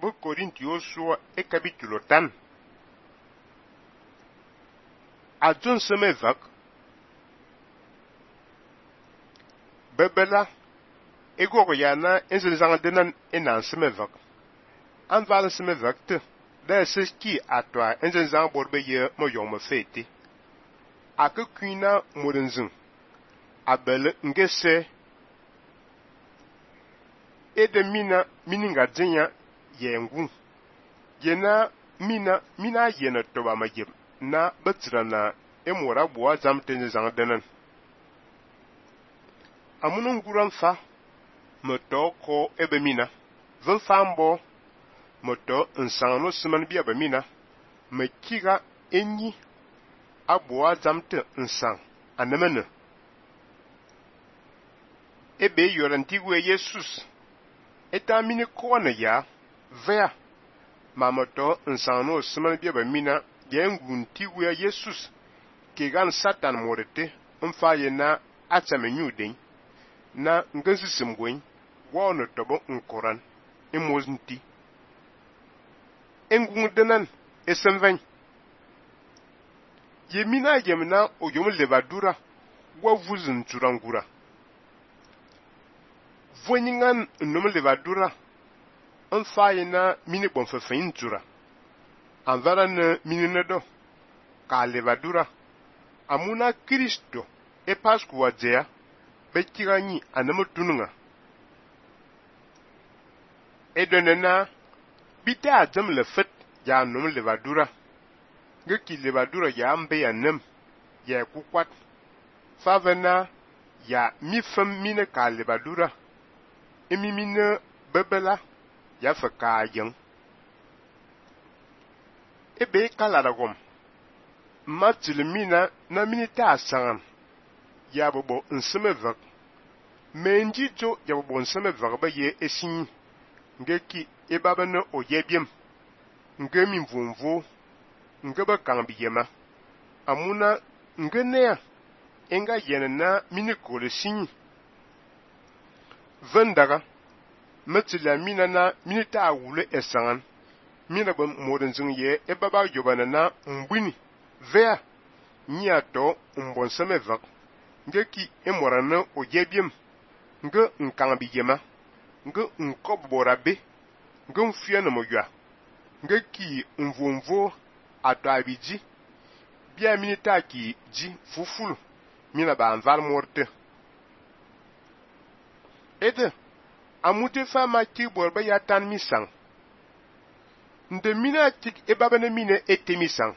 bu Korintio so e capítulo tan. A John seme vak. Bebela ego ya na enzel zang denan enan seme vak. An val seme vak te. Da ki atwa enzel zang borbe ye mo yong me fete. A ke kuina modenzin. A bele ngese ede mininga dzenya yengu. Yena mina yena toba majib na betra na emora boa zamten zang denan. Amunun guran fa moto ko ebe mina. Ven fambo moto nsang no siman bi ebe mina. Me kiga enyi aboa zamten nsang anemene. Ebe yorantigwe Jesus. Eta mini kone ya vea. Mamoto nsano siman bi ebe mina yengun tigwe Jesus. Kegan Satan morete mfaye na atamenyuden. Na ngensi simgwen wono tobo nkoran emozinti. Engung denan esenven. Yemina yemna oyom levadura wa vuzin turangura. Voningan nom levadura mfaye na mini bonfefein tura. Anvara ne mini nedo ka levadura. Amuna Kristo e pasku wadzea bekiranyi anemutununga. Edonena bita adzem le fet ya nom levadura. Ngeki levadura ya mbe ya nem ya kukwat. Favena ya mifem mine ka levadura. Emi mine bebela ya feka yang. Ebe kalaragom. Matilimina na minita asangan. Ya bobo nseme vak. Menji jo ya bobo nseme vak ba ye esin. Ngeki ebaba ne oyebiem. Ngemi mvumvu. Ngeba kambi yema. Amuna ngenea. Enga yene na minikole sinyi. Vendaga. Matilamina na minita awule esangan. Mina ba modenzing ye ebaba yobana na mbwini. Vea. Nyato mbonseme vak. Ngeki emorane oyebiem. Nge nkambi yema. Nge nkoborabe. Nge mfiane moya. Ngeki mvumvu ato abiji. Bia minita ki ji fufulu. Mina ba anval morte. Ede. Amute fama ki borba ya tan misang. Nde mina tik ebabane mine ete misang.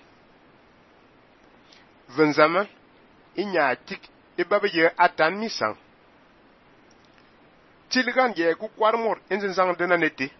Venzama. Inya tik ebaba ye atan misang. Tilgan ye ku kwarmor enzen zang dena nete.